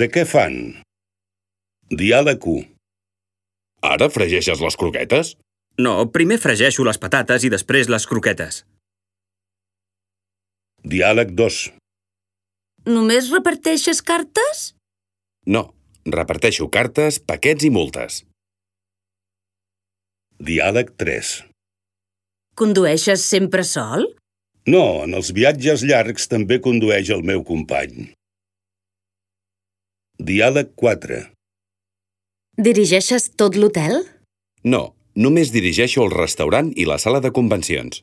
De què fan? Diàleg 1. Ara fregeixes les croquetes? No, primer fregeixo les patates i després les croquetes. Diàleg 2. Només reparteixes cartes? No, reparteixo cartes, paquets i multes. Diàleg 3. Condueixes sempre sol? No, en els viatges llargs també condueix el meu company. Diàleg 4. Dirigeixes tot l'hotel? No, només dirigeixo el restaurant i la sala de convencions.